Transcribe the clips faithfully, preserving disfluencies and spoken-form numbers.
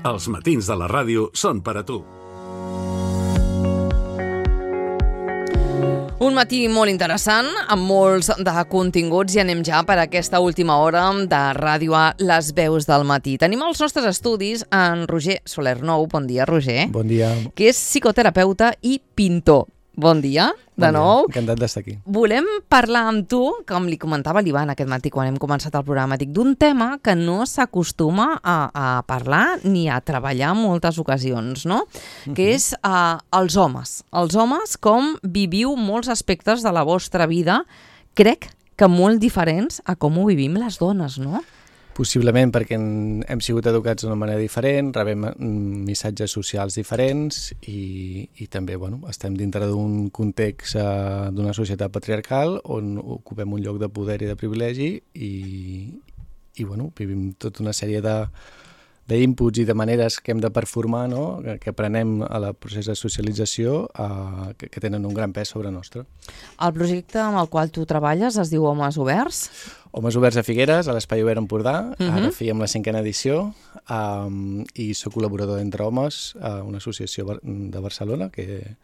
Els matins de la ràdio són per a tu. Un matí molt interessant, amb molts de continguts, i anem ja per aquesta última hora de ràdio a Les Veus del Matí. Tenim als nostres estudis en Roger Soler-Nou. Bon dia, Roger. Bon dia. Que és psicoterapeuta i pintor. Bon dia, de bon nou. Dia. Encantat d'estar aquí. Volem parlar amb tu, com li comentava l'Ivan aquest matí quan hem començat el programa, dic, d'un tema que no s'acostuma a, a parlar ni a treballar en moltes ocasions, no? Uh-huh. Que és uh, els homes. Els homes, com viviu molts aspectes de la vostra vida, crec que molt diferents a com ho vivim les dones, no? Possiblement perquè hem sigut educats d'una manera diferent, rebem missatges socials diferents i, i també bueno, estem dintre d'un context uh, d'una societat patriarcal on ocupem un lloc de poder i de privilegi i, i bueno, vivim tota una sèrie de d'inputs i de maneres que hem de performar, no? que, que aprenem a la procés de socialització uh, que, que tenen un gran pes sobre nostre. El projecte amb el qual tu treballes es diu Homes Oberts? Homes Oberts a Figueres, a l'Espai Obert Empordà. Uh-huh. Ara fèiem la cinquena edició um, i soc col·laborador d'Entre Homes, a una associació de Barcelona que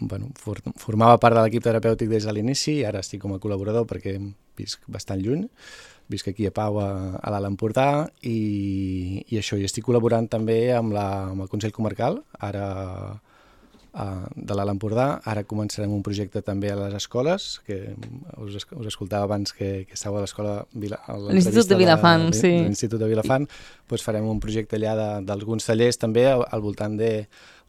bueno, for, formava part de l'equip terapèutic des de l'inici i ara estic com a col·laborador perquè visc bastant lluny. Visc aquí a Pau, a, a l'Alt Empordà, i, i això, i estic col·laborant també amb, la, amb el Consell Comarcal, ara a, de l'Alt Empordà. Ara començarem un projecte també a les escoles, que us, us escoltava abans que, que estàveu a l'escola... L'Institut de Vilafant, de, sí. L'Institut de Vilafant, doncs farem un projecte allà d'alguns tallers també al, al voltant de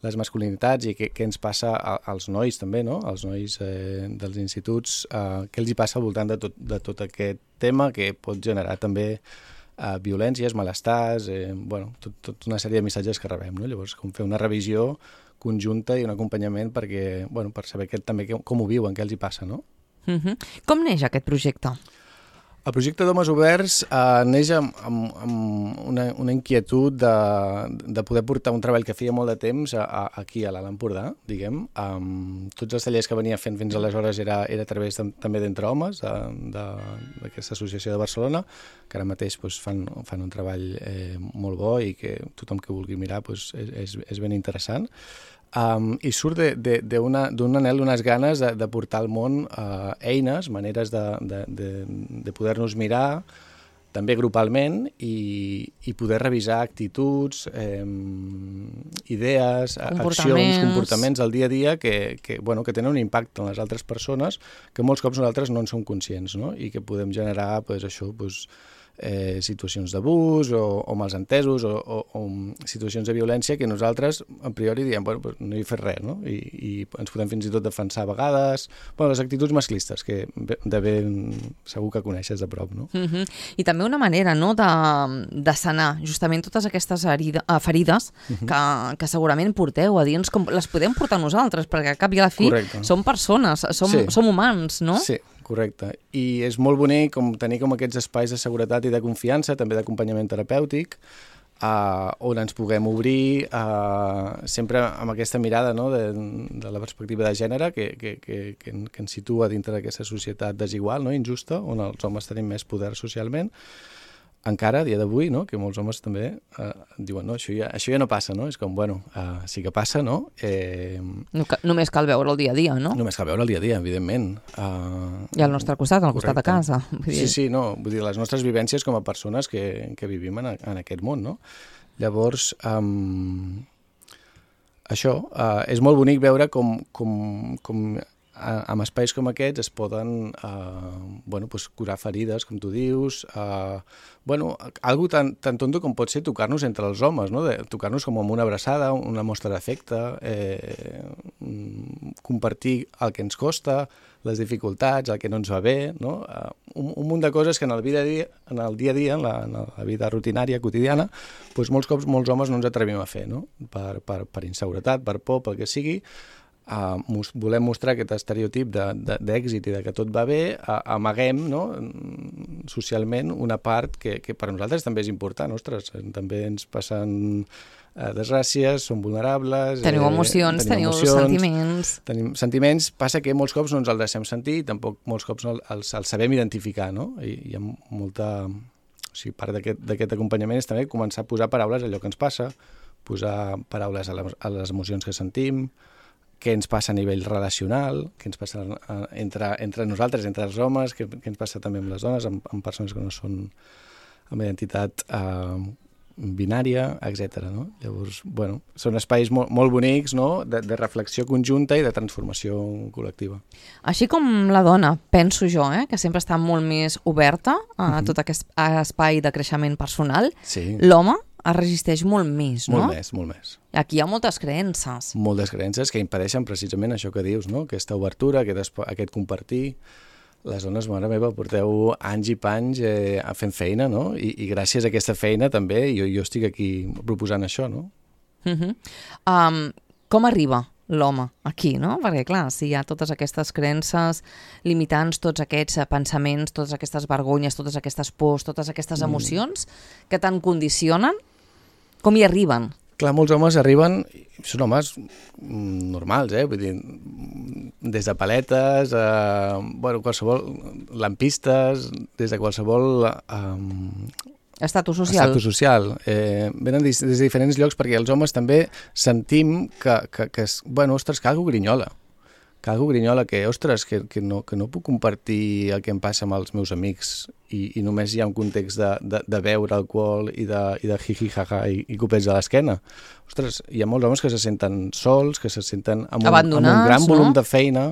les masculinitats i què, què ens passa a, als nois també, no? Els nois eh, dels instituts, eh, què els hi passa al voltant de tot, de tot aquest tema que pot generar també eh, violències, malestars, eh, bueno, tot, tot una sèrie de missatges que rebem, no? Llavors, com fer una revisió conjunta i un acompanyament perquè, bueno, per saber que, també com ho viuen, què els hi passa, no? Uh-huh. Com neix aquest projecte? El projecte d'Homes Oberts eh, neix amb, amb, amb una, una inquietud de, de poder portar un treball que feia molt de temps a, a, aquí a l'Alt Empordà, diguem. Um, tots els tallers que venia fent fins aleshores era, era a través de, també d'Entre Homes, d'aquesta associació de Barcelona, que ara mateix pues, fan, fan un treball eh, molt bo i que tothom que vulgui mirar pues, és, és, és ben interessant. Um, i surt d'un anhel, d'unes ganes de, de portar al món uh, eines, maneres de, de, de, de poder-nos mirar, també grupalment, i, i poder revisar actituds, eh, idees, accions, comportaments al dia a dia que, que, bueno, que tenen un impacte en les altres persones que molts cops nosaltres no en som conscients, no? I que podem generar pues, això, pues, Eh, situacions d'abús o, o malentesos o, o, o situacions de violència que nosaltres a priori diem, bueno, pues no hi he fet res, no? I, i ens podem fins i tot defensar a vegades, bueno, les actituds masclistes que de ben segur que coneixes de prop, no? Uh-huh. I també una manera, no?, de, de sanar justament totes aquestes herida, ferides uh-huh. que, que segurament porteu a dins, com les podem portar nosaltres, perquè a cap i a la fi Correcte. Som persones, som, sí. som humans, no? Sí. Correcte. I és molt bonic com tenir com aquests espais de seguretat i de confiança, també d'acompanyament terapèutic, uh, on ens puguem obrir uh, sempre amb aquesta mirada, no?, de, de la perspectiva de gènere que, que, que, que, que ens situa dintre d'aquesta societat desigual, no?, injusta, on els homes tenim més poder socialment. Encara, a dia d'avui, no?, que molts homes també eh, diuen, no, això ja, això ja no passa, no? És com, bueno, uh, sí que passa, no? Eh, no ca- només cal veure el dia a dia, no? Només cal veure el dia a dia, evidentment. Uh, I al nostre costat, al costat de casa. Vull dir... Sí, sí, no, vull dir, les nostres vivències com a persones que, que vivim en, en aquest món, no? Llavors, um, això, uh, és molt bonic veure com... com, com amb espais com aquests es poden eh, bueno, pues, curar ferides, com tu dius, eh, bueno, algo tan, tan tonto com pot ser tocar-nos entre els homes, no? De, tocar-nos com amb una abraçada, una mostra d'afecte, eh, compartir el que ens costa, les dificultats, el que no ens va bé, no? Eh, un, un munt de coses que en el dia a dia, en el dia, a dia en, la, en la vida rutinària, quotidiana, pues, molts cops molts homes no ens atrevim a fer, no? Per, per, per inseguretat, per por, pel que sigui. Uh, mos, volem mostrar aquest estereotip d'èxit i de que tot va bé, uh, amaguem, no?, socialment una part que, que per nosaltres també és important. Ostres, també ens passen uh, desgràcies, som vulnerables... Teniu emocions, eh, teniu emocions, sentiments... Tenim sentiments, passa que molts cops no ens els deixem sentir i tampoc molts cops no els, els sabem identificar, no? I hi ha molta... O sigui, part d'aquest acompanyament és també començar a posar paraules a allò que ens passa, posar paraules a les, a les emocions que sentim, què ens passa a nivell relacional, què ens passa entre, entre nosaltres, entre els homes, què, què ens passa també amb les dones, amb, amb persones que no són amb identitat eh, binària, etcètera. No? Llavors, bueno, són espais molt, molt bonics, no? de, de reflexió conjunta i de transformació col·lectiva. Així com la dona, penso jo, eh, que sempre està molt més oberta a uh-huh. tot aquest espai de creixement personal, sí. L'home es resisteix molt més, no? Molt més, molt més. Aquí hi ha moltes creences. Moltes creences que impedeixen precisament això que dius, no? Aquesta obertura, aquest, aquest compartir. Les dones, mare meva, porteu anys i panys eh, fent feina, no? I, i gràcies a aquesta feina també jo, jo estic aquí proposant això, no? Uh-huh. um, com arriba l'home aquí, no? Perquè, clar, si hi ha totes aquestes creences limitants, tots aquests pensaments, totes aquestes vergonyes, totes aquestes pors, totes aquestes emocions mm. que tant condicionen, com hi arriben? Clar, molts homes arriben, són homes normals, eh? Vull dir, des de paletes, a, bueno, qualsevol, lampistes, des de qualsevol... Um, estatus social. Estatus social. Eh, venen des, des de diferents llocs perquè els homes també sentim que, que, que bueno, ostres, que algú grinyola. Que algú grinyola, que, ostres, que, que, no, que no puc compartir el que em passa amb els meus amics i, i només hi ha un context de, de, de beure alcohol i de, i de jiji, jaja i, i copets a l'esquena. Ostres, hi ha molts homes que se senten sols, que se senten amb un, amb un gran volum no? de feina,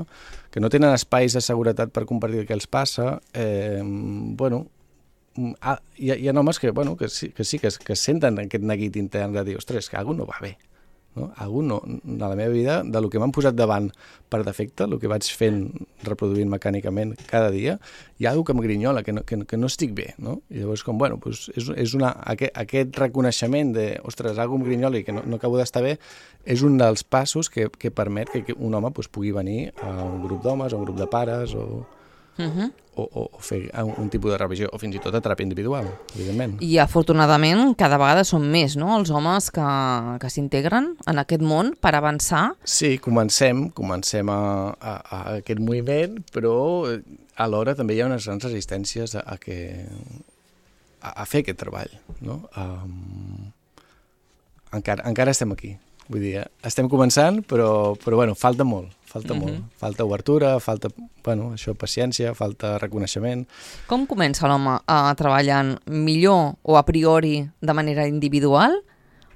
que no tenen espais de seguretat per compartir el que els passa. Eh, bueno, ah, hi, ha, hi ha homes que, bueno, que sí, que, sí que, que senten aquest neguit intern de dir, ostres, que alguna no va bé. No? Algú no, a la meva vida, de lo que m'han posat davant per defecte, el que vaig fent, reproduint mecànicament cada dia, hi ha algú que em grinyola, que no, que, que no estic bé, no? I llavors, com, bueno, pues és, és una, aquest, aquest reconeixement de, ostres, algú em grinyola i que no, no acabo d'estar bé, és un dels passos que, que permet que, que un home pues, pugui venir a un grup d'homes, a un grup de pares, o... Uh-huh. O, o, o fer un, un tipus de revisió, o fins i tot a teràpia individual, evidentment. I afortunadament cada vegada són més, no?, els homes que, que s'integren en aquest món per avançar. Sí, comencem, comencem a, a, a aquest moviment, però alhora també hi ha unes grans resistències a, a, que, a, a fer aquest treball, no? Um, encara, encara estem aquí. Vull dir, estem començant, però, però bueno, falta molt, falta mm-hmm. molt. Falta obertura, falta, bueno, això, paciència, falta reconeixement. Com comença l'home a treballar millor o a priori de manera individual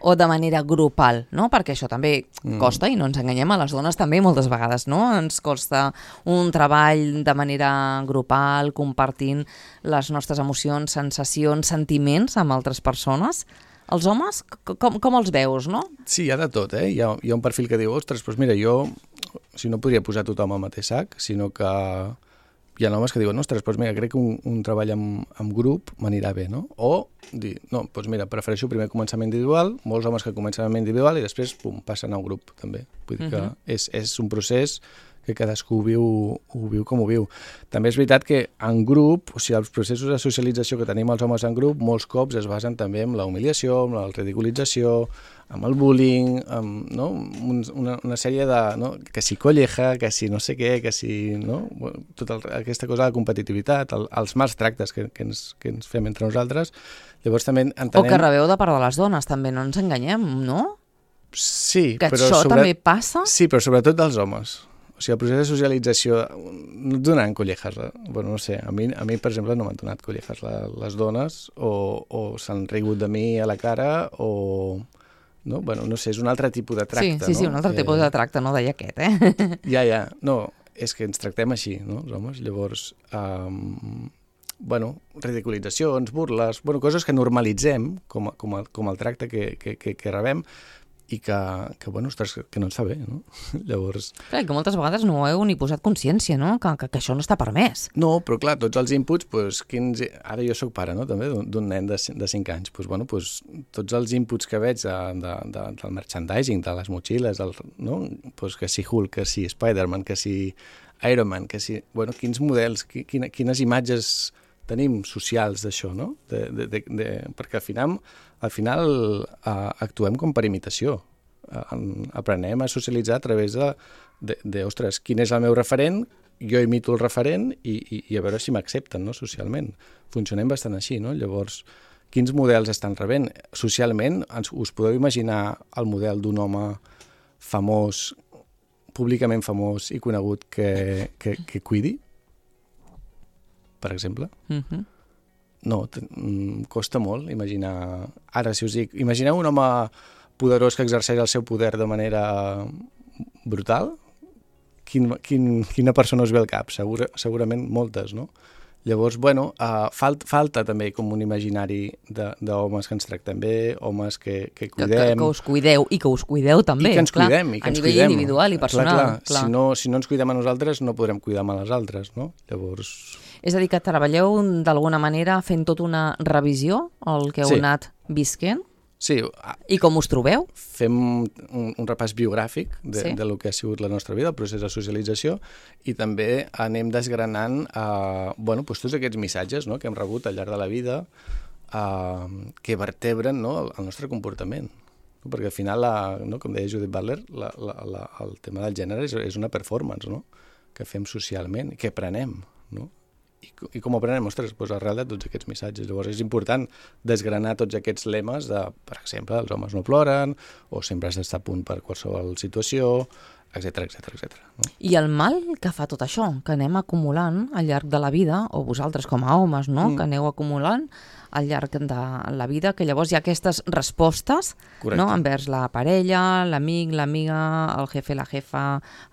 o de manera grupal, no? Perquè això també mm. costa, i no ens enganyem, a les dones també moltes vegades, no? Ens costa un treball de manera grupal, compartint les nostres emocions, sensacions, sentiments amb altres persones. Els homes, com, com els veus, no? Sí, hi ha de tot, eh? Hi ha, hi ha un perfil que diu, ostres, doncs mira, jo, o sigui, no podria posar tothom al mateix sac, sinó que hi ha homes que diuen, ostres, doncs mira, crec que un, un treball amb, amb grup m'anirà bé, no? O dir, no, doncs mira, prefereixo primer començar amb individual, molts homes que comencen amb individual i després, pum, passen a un grup, també. Vull dir que uh-huh. és, és un procés que cadascú ho viu, ho viu com ho viu. També és veritat que en grup, o sigui, els processos de socialització que tenim els homes en grup, molts cops es basen també en la humiliació, en la ridiculització, amb el bullying, amb, no? una, una sèrie de... No? Que si colleja, que si no sé què, que si... No? Tota aquesta cosa de competitivitat, el, els mals tractes que, que, ens, que ens fem entre nosaltres. Llavors també entenem... O que rebeu de part de les dones, també, no ens enganyem, no? Sí, que però... això sobre... també passa? Sí, però sobretot dels homes. O sigui, el procés de socialització no et donaran collejas. Bueno, no sé, a mi, a mi per exemple, no m'han donat collejas les dones, o, o s'han rigut de mi a la cara, o... No? Bueno, no sé, és un altre tipus de tracte, sí, sí, no? Sí, un altre eh... tipus de tracte, no deia aquest, eh? Ja, ja, no, és que ens tractem així, no, els homes? Llavors, um, bueno, ridiculitzacions, burles, bueno, coses que normalitzem com, a, com, a, com el tracte que, que, que, que rebem, i que, que, bueno, ostres, que no ens fa bé, no? Llavors... Clar, que moltes vegades no heu ni posat consciència, no? Que, que, que això no està permès. No, però clar, tots els inputs, doncs, quins... ara jo sóc pare, no?, també, d'un nen de, de cinc anys, doncs, bueno, doncs, tots els inputs que veig de, de, de, del merchandising, de les motxilles, del, no?, doncs, que si Hulk, que si Spider-Man, que si Iron Man, que si... Bueno, quins models, quina, quines imatges tenim socials d'això, no? De, de, de, de, perquè al final, al final uh, actuem com per imitació. Uh, aprenem a socialitzar a través de, de, de, ostres, quin és el meu referent, jo imito el referent i, i, i a veure si m'accepten, no? Socialment. Funcionem bastant així, no? Llavors, quins models estan rebent? Socialment, ens, us podeu imaginar el model d'un home famós, públicament famós i conegut que, que, que cuidi? Per exemple? Mhm. No, costa molt imaginar... Ara, si us dic, imagineu un home poderós que exerceix el seu poder de manera brutal? Quin, quin, quina persona us ve al cap? Segur, segurament moltes, no? Llavors, bueno, uh, falt, falta també com un imaginari d'homes que ens tractem bé, homes que, que cuidem... Que, que, que us cuideu, i que us cuideu també, I que ens clar, cuidem, i que a ens nivell cuidem. individual i personal. Clar, clar. clar. Si, no, si no ens cuidem a nosaltres, no podrem cuidar a les altres, no? Llavors... És a dir, que treballeu d'alguna manera fent tota una revisió, el que heu Sí. anat visquent, Sí, i com us trobeu? fem un, un repàs biogràfic de, Sí. de lo que ha sigut la nostra vida, el procés de socialització, i també anem desgranant eh, bueno, doncs tots aquests missatges, no?, que hem rebut al llarg de la vida eh, que vertebren, no?, el, el nostre comportament. No? Perquè al final, la, no?, com deia Judith Butler, la, la, la, el tema del gènere és, és una performance, no?, que fem socialment, que aprenem, no? I, I com aprenem? Ostres, doncs arrel de tots aquests missatges. Llavors és important desgranar tots aquests lemes de, per exemple, els homes no ploren, o sempre has d'estar a punt per qualsevol situació, etcètera, etcètera, etcètera. No? I el mal que fa tot això, que anem acumulant al llarg de la vida, o vosaltres com a homes, no?, mm. que aneu acumulant al llarg de la vida, que llavors hi ha aquestes respostes, no?, envers la parella, l'amic, l'amiga, el jefe, la jefa,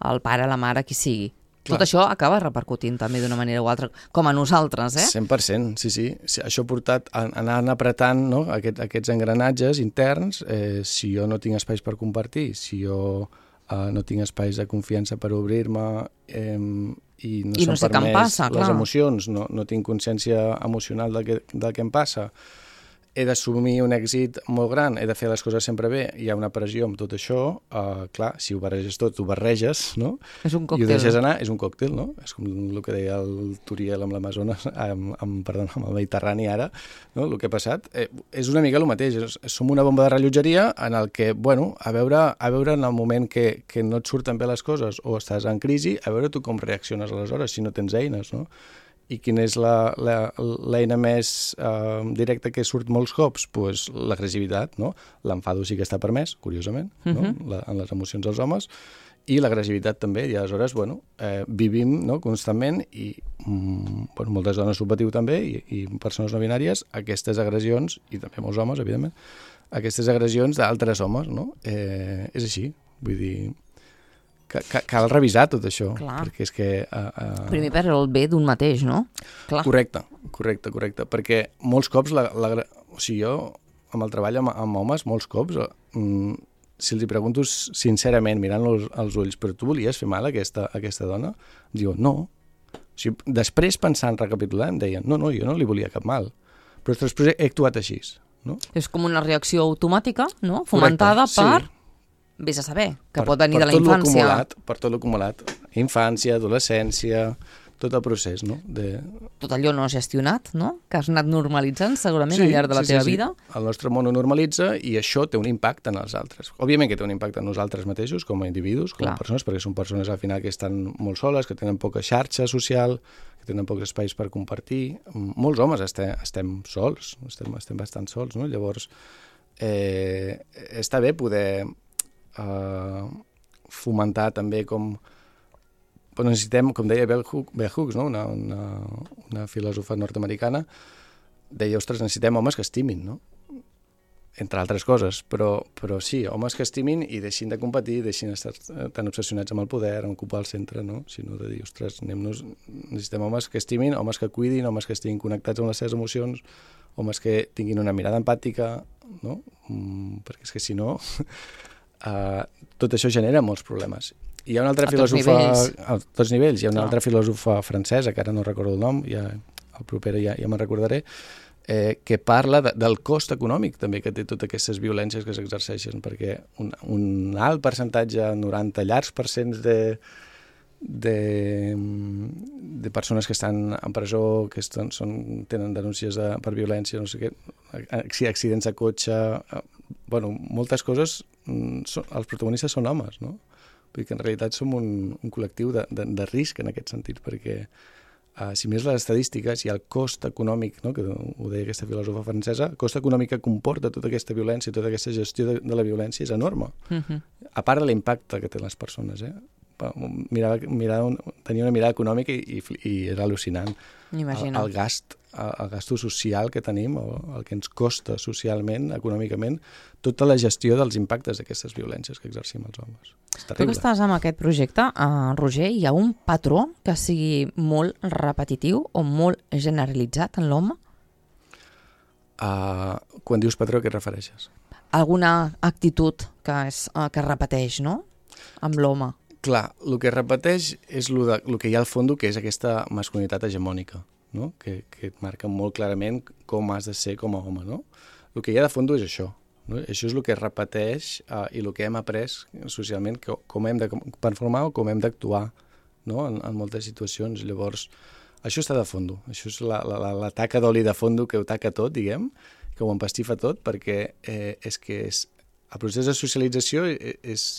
el pare, la mare, qui sigui. Clar. Tot això acaba repercutint també d'una manera o altra, com a nosaltres, eh? cent per cent, sí, sí. Això ha portat a anar apretant, no?, Aquest, aquests engranatges interns. Eh, si jo no tinc espais per compartir, si jo eh, no tinc espais de confiança per obrir-me eh, i no I no s'han sé què em permès passa, les clar. emocions, no, no tinc consciència emocional del que, del que em passa, he d'assumir un èxit molt gran, he de fer les coses sempre bé, hi ha una pressió amb tot això, uh, clar, si ho barreges tot, ho barreges, no? És un I ho còctel. deixes anar, és un còctel, no? És com el que deia el Turiel amb l'Amazones, amb, amb, perdó, amb el Mediterrani ara, no? El que ha passat, eh, és una mica el mateix, és, som una bomba de rellotgeria en el que, bueno, a veure, a veure en el moment que, que no et surten bé les coses o estàs en crisi, a veure tu com reacciones aleshores, si no tens eines, no? I quina és l'eina més eh, directa que surt molts cops? Pues l'agressivitat, no? L'enfado sí que està permès, curiosament, no? Mhm. La, en les emocions dels homes, i l'agressivitat també, i aleshores, bueno, eh, vivim, no?, constantment, i mm, bueno, moltes dones ho patiu també, i, i persones no binàries, aquestes agressions, i també molts homes, evidentment, aquestes agressions d'altres homes, no? Eh, és així, vull dir... Cal, cal revisar tot això, Clar. perquè és que... Uh, uh... Primer per el bé d'un mateix, no? Clar. Correcte, correcte, correcte, perquè molts cops, la, la, o sigui, jo amb el treball amb, amb homes, molts cops, mm, si els hi pregunto sincerament, mirant-los als ulls, però tu volies fer mal a aquesta, a aquesta dona? Diu, no. O sigui, després, pensant, recapitulant, em deien, no, no, jo no li volia cap mal, però després he actuat així, no? És com una reacció automàtica, no?, fomentada Correcte, per... sí. Vés a saber, que per, pot venir per de la tot infància. Acumulat, per tot l'acumulat. Infància, adolescència, tot el procés, no? De... Tot allò no gestionat, no?, que has anat normalitzant segurament sí, al llarg de la sí, teva sí, sí. vida. El nostre món ho normalitza i això té un impacte en els altres. Òbviament que té un impacte en nosaltres mateixos, com a individus, com Clar. a persones, perquè són persones al final que estan molt soles, que tenen poca xarxa social, que tenen pocs espais per compartir. Molts homes estem, estem sols, estem, estem bastant sols, no? Llavors, eh, està bé poder eh, fomentar també com... Però necessitem, com deia Bell Hooks, no? una, una, una filòsofa nord-americana, deia, ostres, necessitem homes que estimin, no? Entre altres coses, però, però sí, homes que estimin i deixin de competir, deixin d'estar tan obsessionats amb el poder, amb ocupar el centre, no? Sinó de dir, ostres, anem-nos... necessitem homes que estimin, homes que cuidin, homes que estiguin connectats amb les seves emocions, homes que tinguin una mirada empàtica, no? Mm, perquè és que si no, uh, tot això genera molts problemes. Hi ha una altra a tots filòsofa... nivells. A tots nivells. Hi ha una Clar. altra filòsofa francesa, que ara no recordo el nom, ja, el proper ja, ja me'n recordaré, eh, que parla de, del cost econòmic també que té totes aquestes violències que s'exerceixen, perquè un, un alt percentatge, noranta llargs percents de, de, de persones que estan en presó, que estan, són, tenen denúncies de, per violència, no sé què, accidents de cotxe, eh, bueno, moltes coses, són, els protagonistes són homes, no? Vull dir que en realitat som un, un col·lectiu de, de, de risc en aquest sentit, perquè uh, si més les estadístiques i el cost econòmic, no, que ho deia aquesta filòsofa francesa, el cost econòmic que comporta tota aquesta violència, tota aquesta gestió de, de la violència és enorme. Uh-huh. A part de l'impacte que tenen les persones, eh? Mirava, mirava un, tenia una mirada econòmica i, i, i era al·lucinant. El, el gast, el, el gasto social que tenim, el, el que ens costa socialment, econòmicament, tota la gestió dels impactes d'aquestes violències que exercim els homes. És terrible. Tu que estàs amb aquest projecte, uh, Roger, hi ha un patró que sigui molt repetitiu o molt generalitzat en l'home? Uh, quan dius patró, a què et refereixes? Alguna actitud que, és, uh, que es repeteix, no?, amb l'home. Clar, el que es repeteix és el, de, el que hi ha al fons, que és aquesta masculinitat hegemònica, no? que, que et marca molt clarament com has de ser com a home. No? El que hi ha de fons és això. No? Això és el que es repeteix uh, i el que hem après socialment, que, com hem de performar o com hem d'actuar, no? en, en moltes situacions. Llavors, això està de fons. Això és la, la, la, la taca d'oli de fons que ho taca tot, diguem, que ho empastifa tot, perquè eh, és que és, el procés de socialització és... és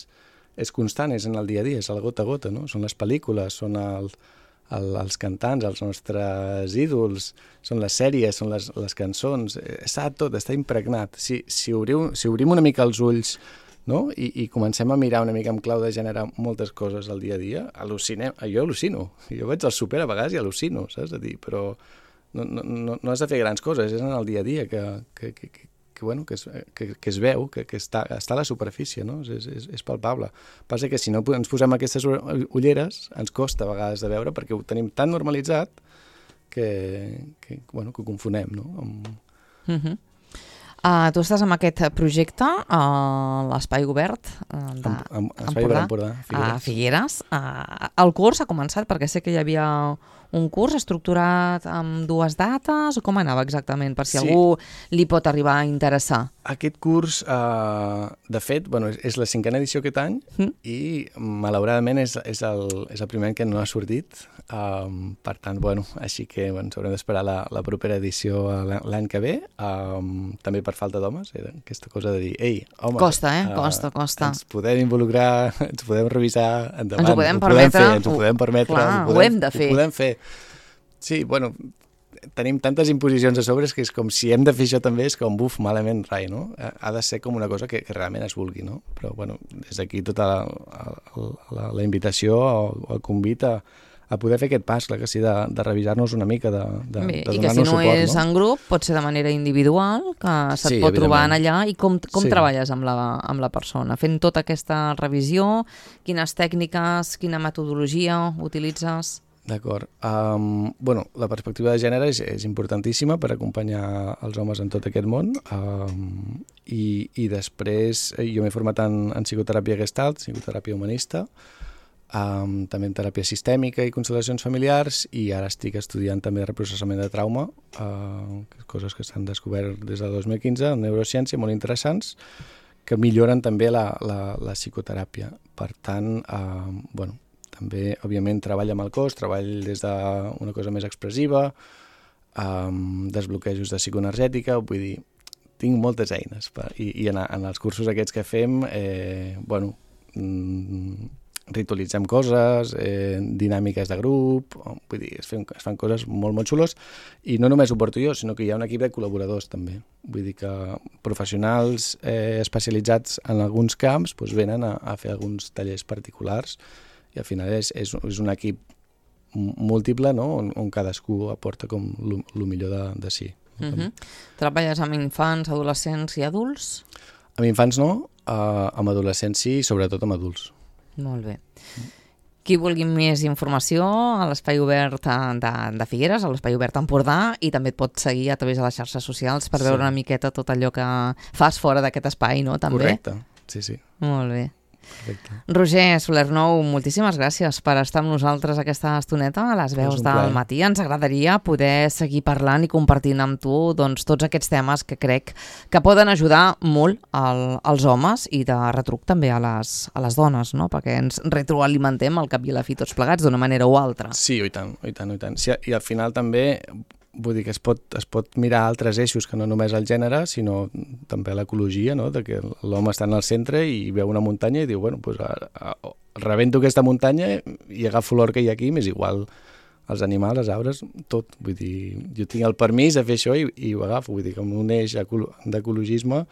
és constant, és en el dia a dia, és el gota a gota, no? Són les pel·lícules, són el, el, els cantants, els nostres ídols, són les sèries, són les, les cançons, està tot, està impregnat. Si, si, obriu, si obrim una mica els ulls, no? I, i comencem a mirar una mica amb clau de gènere moltes coses al dia a dia, al·lucinem, jo al·lucino, jo vaig al súper a vegades i al·lucino, saps? A dir, però no, no, no, no has de fer grans coses, és en el dia a dia que, que, que, que que, bueno, que, es, que, que es veu, que, que està, està a la superfície, no? és, és, és palpable. Passa que si no ens posem aquestes ulleres, ens costa a vegades de veure, perquè ho tenim tan normalitzat que, que, bueno, que ho confonem, no? Amb... Uh-huh. Uh, tu estàs amb aquest projecte a uh, l'Espai Obert uh, de amb, amb, Espai Obert Empordà, Figueres. A Figueres. Uh, el curs ha començat perquè sé que hi havia un curs estructurat amb dues dates, o com anava exactament, per si sí. algú li pot arribar a interessar? Aquest curs, uh, de fet, bueno, és, és la cinquena edició aquest any mm. i, malauradament, és, és, el, és el primer any que no ha sortit. Um, per tant, bueno, així que bueno, ens haurem d'esperar la, la propera edició l'any que ve. Um, també per falta d'homes, era aquesta cosa de dir, ei, home... Costa, eh? Uh, costa, costa. Ens podem involucrar, ens podem revisar endavant. Ens ho podem permetre. Podem fer, ens ho podem permetre. Clar, ho, podem, ho hem de fer. Ho podem fer. Sí, bueno... Tenim tantes imposicions a sobre que és com si hem de fer això també, és com, buf, malament, rai, no? Ha de ser com una cosa que, que realment es vulgui, no? Però, bueno, des d'aquí tota la, la, la, la invitació o el convit a, a poder fer aquest pas, clar que sí, de, de revisar-nos una mica, de, de, Bé, de donar-nos suport, no? I que si no és no? en grup, pot ser de manera individual, que se't sí, pot trobar en allà, i com, com sí. treballes amb la, amb la persona? Fent tota aquesta revisió, quines tècniques, quina metodologia utilitzes? D'acord. Um, bueno, la perspectiva de gènere és, és importantíssima per acompanyar els homes en tot aquest món um, i, i després jo m'he format en, en psicoteràpia gestalt, psicoteràpia humanista, um, també en teràpia sistèmica i constel·lacions familiars i ara estic estudiant també reprocessament de trauma, uh, coses que s'han descobert des del dos mil quinze en neurociència, molt interessants, que milloren també la, la, la psicoteràpia. Per tant, uh, bueno, també, òbviament, treball amb el cos, treball des d'una cosa més expressiva, um, desbloquejos de psicoenergètica, vull dir, tinc moltes eines. Per, I i en, en els cursos aquests que fem, eh, bueno, mm, ritualitzem coses, eh, dinàmiques de grup, vull dir, es, fem, es fan coses molt, molt xulos, i no només ho porto jo, sinó que hi ha un equip de col·laboradors també. Vull dir que professionals eh, especialitzats en alguns camps doncs venen a, a fer alguns tallers particulars, i al final és, és, és un equip múltiple, no? on, on cadascú aporta com el millor de, de si. Uh-huh. Treballes amb infants, adolescents i adults? Amb infants no, uh, amb adolescents sí, i sobretot amb adults. Molt bé. Qui vulgui més informació a l'Espai Obert de, de Figueres, a l'Espai Obert Empordà, i també et pot seguir a través de les xarxes socials per sí. veure una miqueta tot allò que fas fora d'aquest espai, no? També? Correcte, sí, sí. Molt bé. Perfecte. Roger Soler-Nou, moltíssimes gràcies per estar amb nosaltres aquesta estoneta a les veus del matí. Ens agradaria poder seguir parlant i compartint amb tu doncs, tots aquests temes que crec que poden ajudar molt al, als homes i de retruc també a les, a les dones, no? Perquè ens retroalimentem al cap i a la fi tots plegats d'una manera o altra. Sí, i tant, i tant, i tant. Sí, i al final també vull dir que es pot, es pot mirar altres eixos que no només el gènere, sinó també l'ecologia, no? De que l'home està en el centre i veu una muntanya i diu, bueno, pues, a, a, rebento aquesta muntanya i agafo l'or que hi ha aquí, m'és igual els animals, els arbres, tot. Vull dir, jo tinc el permís de fer això i, i ho agafo. Vull dir que amb un eix d'ecologisme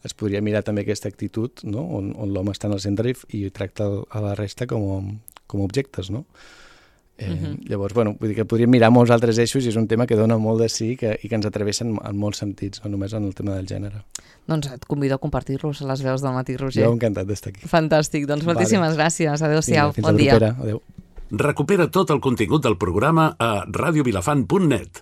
es podria mirar també aquesta actitud, no? on, on l'home està en el centre i, i tracta a la resta com, com objectes, no? Eh, uh-huh. Llavors, bueno, vull dir que podríem mirar molts altres eixos i és un tema que dona molt de sí que, i que ens atravessen en molts sentits, no només en el tema del gènere. Doncs et convido a compartir-los a les veus del matí, Roger. Jo encantat d'estar aquí. Fantàstic, doncs moltíssimes vale. gràcies. Adéu-siau, Vinga, bon dia. Fins a la propera, adéu. Recupera tot el contingut del programa a radiovilafant punt net.